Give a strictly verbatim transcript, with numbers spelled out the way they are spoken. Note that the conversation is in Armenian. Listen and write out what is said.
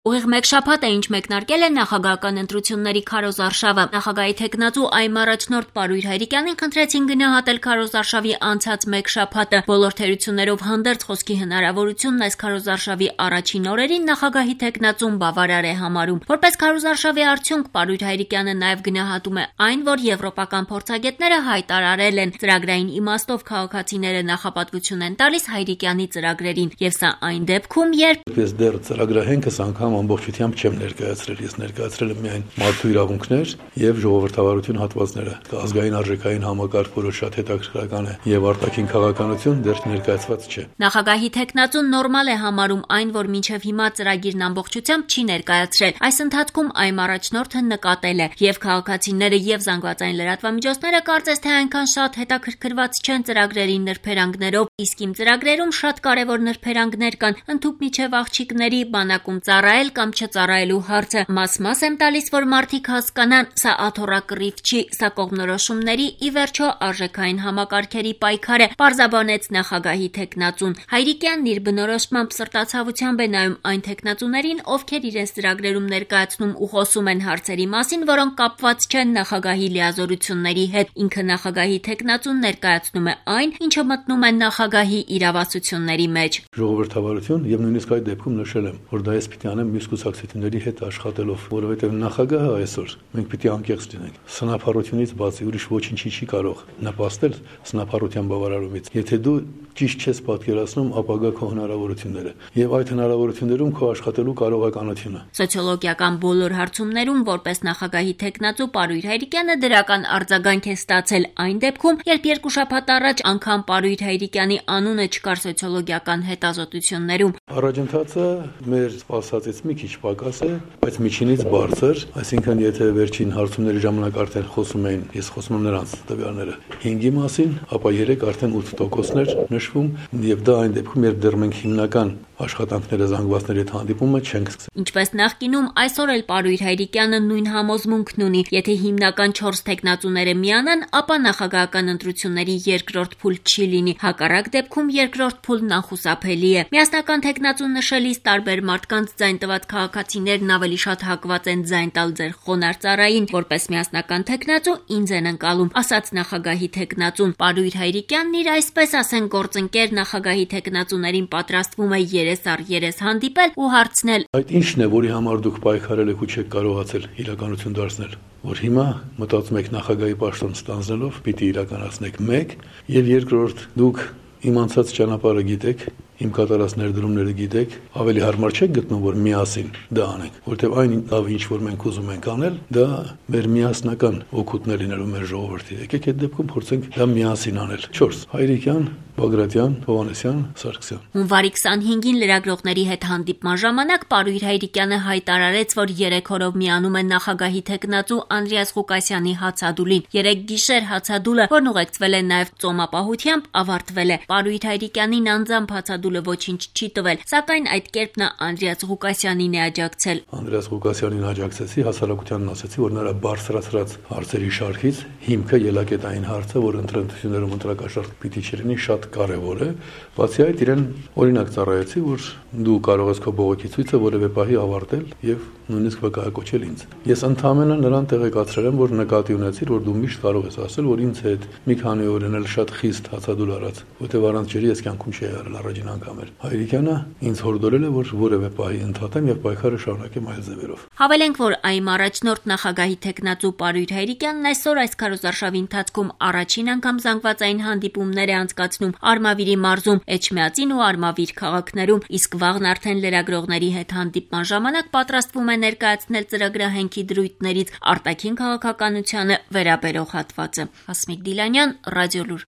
Ուղիղ մեկ շաբաթ է ինչ մեկնարկել է նախագահական ընտրությունների քարոզարշավը։ Նախագահի թեկնածու այմ առաջնորդ Պարույր Հայրիկյանին խնդրեցին գնահատել քարոզարշավի անցած մեկ շաբաթը։ Բոլոր թերություններով հանդերձ խոսքի հնարավորությունն այս քարոզարշավի առաջին օրերին նախագահի թեկնածուն բավարար է համարում։ Որպես քարոզարշավի արդյունք Պարույր Հայրիկյանը նաև գնահատում է այն, որ եվրոպական փորձագետները հայտարարել են ծրագրային իմաստով քաղաքացիները նախապատվություն են տալիս Հայրիկյանի ծրագրերին, եւ սա այն դեպքում, երբ Ես դեռ ծրագրահենքս անգամ ամբողջությամբ չեմ ներկայացրել, ես ներկայացրել եմ միայն մարդու իրավունքներ եւ ժողովրդավարություն հատվածները։ Ազգային արժեքային համակարգ, որը շատ հետաքրքրական է, եւ արտաքին քաղաքականություն դեռ ներկայացված չէ։ Նախագահի թեկնածուն նորմալ է համարում այն, որ մինչև հիմա ծրագիրն ամբողջությամբ չի ներկայացրել։ Այս ընթացքում այմ առաջնորդը նկատել է, եւ քաղաքացիները եւ զանգվածային լրատվամիջոցները կարծես թե այնքան շատ հետաքրքրված չեն ծրագրերի նրբերանգներով, իսկ իմ ծրագրերում շատ կարեւոր նրբերանգներ կան, ընդհուպ միջև աղջիկների բանակում ծառայել կամ չծառայելու հարցը։ Մաս-մաս եմ տալիս, որ մարդիկ հասկանան, սա աթոռակռիվ չի, սա կողմնորոշումների ի վերջո արժեքային համակարգերի պայքար է, պարզաբանեց նախագահի թեկնածուն։ Հայրիկյանն իր բնորոշմամբ սրտացավությամբ է նայում այն թեկնածուներին, ովքեր իրենց ծրագրերում ներկայացնում ու խոսում են հարցերի մասին, որոնք կապված չեն նախագահի լիազորությունների հետ։ Ինքը նախագահի թեկնածուն ներկայացնում է այն, ինչը մտնում է նախագահի իրավասությունների մեջ։ Ժողովրդավարություն եւ նույնիսկ այդ դեպքում նշել եմ, որ դա ես պիտի անեմ մյուս կուսակցությունների հետ աշխատելով, որովհետեւ նախագահը այսօր մենք պիտի անկեղծ լինենք։ Սնափառությունից բացի ուրիշ ոչինչի չի կարող նպաստել սնափառության բավարարումից։ Եթե դու ճիշտ չես պատկերացնում ապագա քո հնարավորությունները եւ այդ հնարավորություններում քո աշխատելու կարողականությունը։ Սոցիոլոգիական բոլոր հարցումներում որպես նախագահի թեկնածու Պարույր Հայրիկյանը դրական արձագանք է ստացել այն դեպքում, երբ երկու շաբաթ առաջ անգամ Պարույր Հայրիկյանի անունը չկար սոցիոլոգիական հետազոտություններում։ Առաջընթացը մեր սպասածից մի քիչ պակաս է, բայց միջինից բարձր, այսինքն եթե վերջին հարցումների ժամանակ արդեն խոսում էին, ես խոսում եմ նրանց տվյալները հինգի մասին, ապա երեք արդեն ութ տոկոսներ նշվում, եւ դա այն դեպքում, երբ դեռ մենք հիմնական աշխատանքները զանգվածների հետ հանդիպումը չենք սկսել։ Ինչպես նախկինում, այսօր էլ Պարույր Հայրիկյանը նույն համոզմունքն ունի, եթե հիմնական չորս թեկնածուները միանան, ապա նախագահական ընտրությունների երկրորդ փուլ չի լինի, հակառակ դեպքում երկրորդ փուլն անխուսափելի է։ Միասնական թեկնածուն նշելիս տարբեր մարդկանց ձայն տված քաղաքացիներն ավելի շատ հակված են ձայն տալ ձեր խոնարհ ծառային, որպես միասնական թեկնածու ինձ են ընկալում, ասաց նախագահի թեկնածուն։ Պարույր Հայրիկյանն իր այսպես ասեն գործընկեր նախագահի թեկնածուներին պատրաստվում է երես առ երես հանդիպել ու հարցնել. Այդ ի՞նչն է, որի համար դուք պայքարել եք ու չեք կարողացել իրականություն դարձնել, որ հիմա մտածում եք նախագահի պաշտոն ստանձնելով պիտի իրականացնեք մեկ, եւ երկրորդ դուք իմ անցած ճանապարհը գիտեք, իմ կատարած ներդրումները գիտեք, ավելի հարմար չեք գտնում, որ միասին դա անենք, որտեղ այն լավ ինչ որ մենք ուզում ենք անել, դա մեր միասնական օգուտն է լինելու մեր ժողովրդի։ Եկեք այդ դեպքում փորձենք դա միասին անել։ չորս Հայրիկյան, Բագրատյան, Հովհաննեսյան, Սարգսյան։ Հունվարի քսանհինգին լրագրողների հետ հանդիպման ժամանակ Պարույր Հայրիկյանը հայտարարեց, որ երեք օրով միանում է նախագահի թեկնածու Անդրեաս Ղուկասյանի հացադուլին։ Երեք գիշեր հացադուլը, որն ուղեկցվել է նաև ծոմապահությամբ, ավարտվել է։ Պարույր Հայրիկյանին անձամբ հացադուլը ոչինչ չի տվել, սակայն այդ կերպ նա Անդրեաս Ղուկասյանին է աջակցել։ Անդրեաս Ղուկասյանին աջակցեցի, հասարակությանն ասեցի, որ նրա բարձրացրած հարցերի շարքից հիմքը ելակետային հարցը, որ ընտրություններում ընտրակաշառք պիտի չլինի, շատ կարևոր է։ Բացի այդ, իրեն օրինակ ծառայեցի, որ դու կարող ես քո բողոքի ցույցը որևէ պահի ավարտել եւ նույնիսկ վկայակոչել ինձ։ Ես ընդհանրապես նրան տեղեկացրել եմ, որ նկատի ունեցիր, որ դու միշտ կարող ես ասել, որ ինձ հետ մի քանի օր էլ շատ խիստ հացադուլ արած, որտեղ առանց ջրի ես կյանքում չի եղել առաջին անգամ էր։ Հայրիկյանը ինձ հորդորել է, որ որևէ պահի ընդհատեմ եւ պայքարը շարունակեմ այլ ձևերով։ Հավելենք, որ այմ առաջնորդ նախագահի թեկնածու Պարույր Հայրիկյանն այսօր այս քարոզարշավի ընթացքում առաջին անգամ զանգվածային հանդիպումներ է անցկացնում Արմավիրի մարզում, Էջմիածին ու Արմավիր քաղաքներում, իսկ վաղն արդեն լրագրողների հետ հանդիպման ժամանակ պատրաստվում է ներկայացնել ծրագրահենքի դրույթներից արտաքին քաղաքականությանը վերաբերող հատվածը։ Հասմիկ Դիլանյան, Ռադիոլուր։